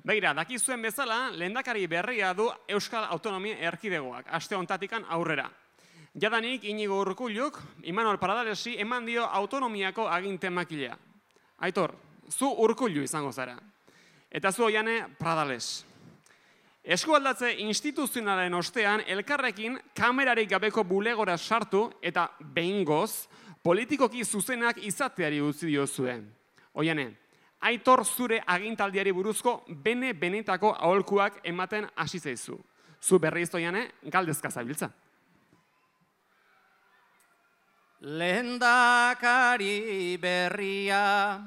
Begira, dakizuen bezala, lehendakari berria du Euskal Autonomia Erkidegoak, aste hontatikan aurrera. Jadanik Inigo Urkulluk, Imanol Pradalesi eman dio autonomiako agintemakilea. Aitor, zu Urkullu izango zara. Eta zu Oiane Pradales. Eskualdatze instituzionalen ostean elkarrekin kamerarik gabeko bulegora sartu eta behingoz politikoki zuzenak izateari utzi diozue. Oiane, Aitor zure agintaldiari buruzko benetako aholkuak ematen hasi zaizu. Zu berriz Oiane, galdezka zabiltza. Lehendakari berria,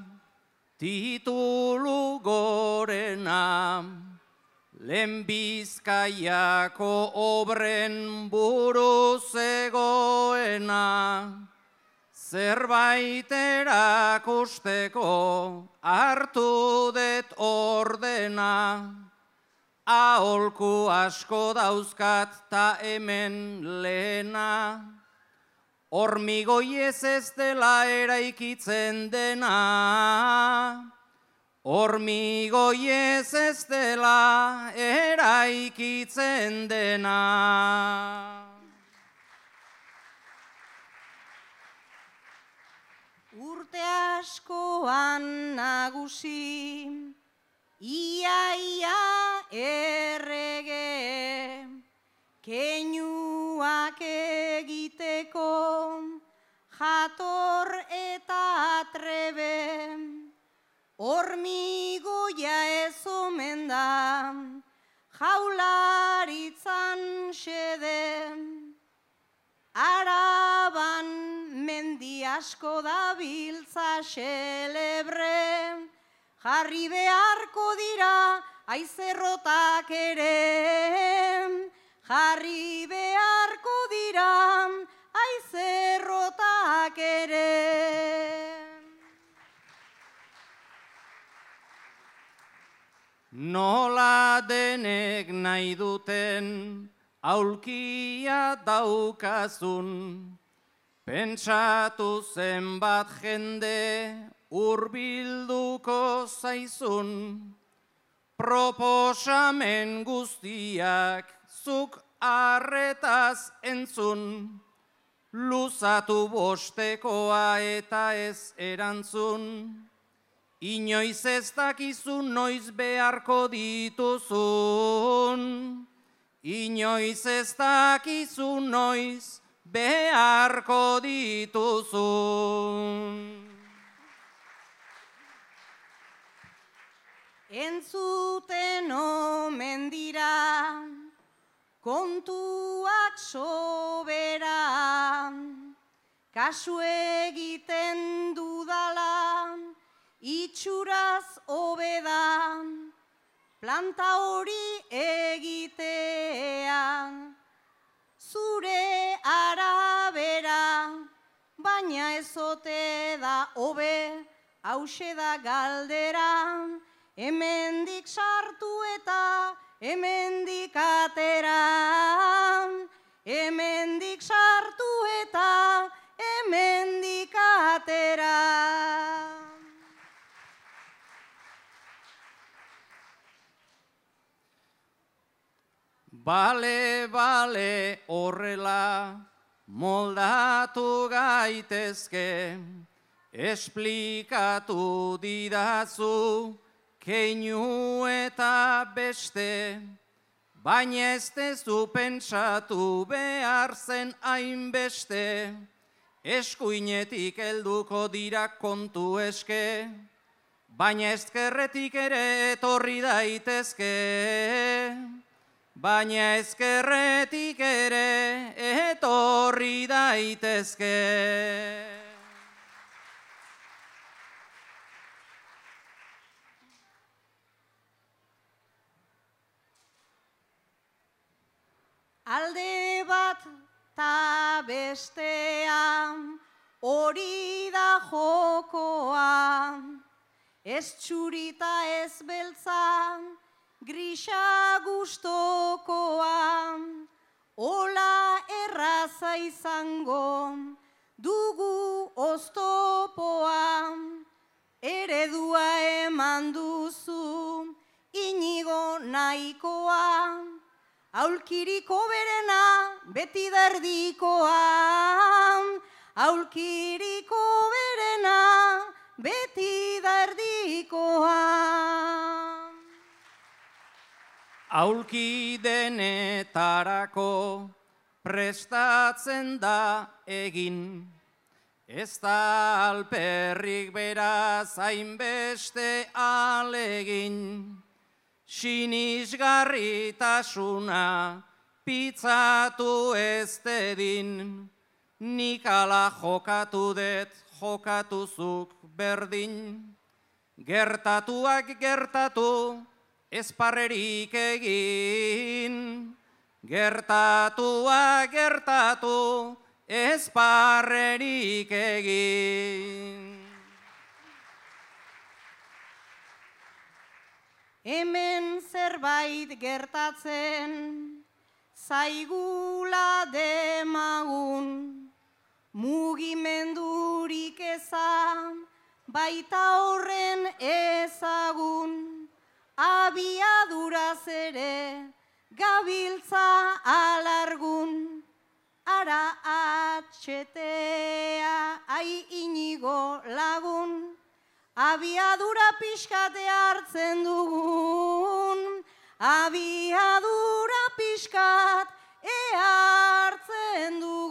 titulu gorena, lehen Bizkaiako obren buru zegoena, zerbait erakusteko hartu det ordena, aholku asko dauzkat ta hemen lehena, hormigoiez ez dela eraikitzen dena, hormigoiez ez dela eraikitzen dena. Urte askoan nagusi, ia errege, keinuak egiteko, jator eta trebe, hormigoia ez omen da, jaularitzan xede, Araban mendi asko dabiltza xelebre, jarri beharko dira aizerrotak ere, jarri beharko dira aizerrotak ere. Nola denek nahi duten aulkia daukazun, pentsatu zenbat jende hurbilduko zaizun, proposamen guztiak zuk arretaz entzun, luzatu bostekoa eta ez erantzun, inoiz ez dakizun noiz beharko dituzun, inoiz ez dakizu noiz beharko dituzun. Entzuten omen dira, kontuak sobera, kasu egiten dudala, itxuraz hobeda, planta hori egitea, zure arabera, baina ezote da hobe, hause da galdera, hemendik sartu eta hemendik atera, hemendik sartu eta hemendik atera. Bale, horrela moldatu gaitezke, esplikatu didazu keinu eta beste, baina ez dezu pentsatu behar zen hainbeste, eskuinetik helduko dira kontu eske, baina ezkerretik ere etorri daitezke. Baina ezkerretik ere etorri daitezke. Alde bat ta bestean hori da jokoa, ez txurita ez beltzan, grisa gustokoa, ola erraza izango, dugu oztopoa, eredua eman duzu, ini nahikoa, aulkiriko berena beti da erdikoa, aulkiriko berena beti da erdikoa. Aulki denetarako prestatzen da egin, ez da alperrik beraz hainbeste alegin, sinisgarritasuna pitzatu ez dedin, nik ala jokatu det jokatuzuk berdin, gertatuak gertatu ez parrerik egin, gertatuak gertatu ez parrerik egin. Hemen zerbait gertatzen, zaigula demagun, mugimendurik ezan, baita horren ezagun, abiaduraz ere, gabiltza alargun, ara atxetea, ai inigo lagun, abiadura pixkate hartzen dugun, abiadura pixkat hartzen dugun.